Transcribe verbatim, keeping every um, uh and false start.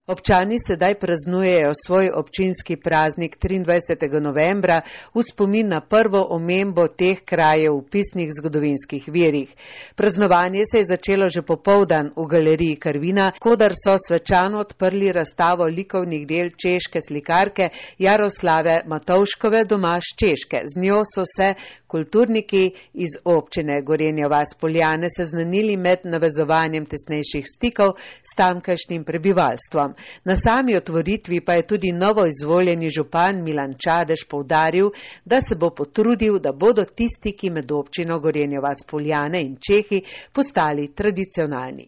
Občani sedaj praznujejo svoj občinski praznik triindvajsetega novembra v spomin na prvo omembo teh krajev v pisnih zgodovinskih virih. Praznovanje se je začelo že popoldan v galeriji Karvina, kodar so svečano odprli razstavo likovnih del češke slikarke Jaroslave Matovškove doma s Češke. Z njo so se kulturniki iz občine Gorenja vas - Poljane seznanili med navezovanjem tesnejših stikov s tamkajšnjim prebivalstvom. Na sami otvoritvi pa je tudi novo izvoljeni župan Milan Čadež poudaril, da se bo potrudil, da bodo ti stiki med občino Gorenja vas - Poljane in Čehi postali tradicionalni.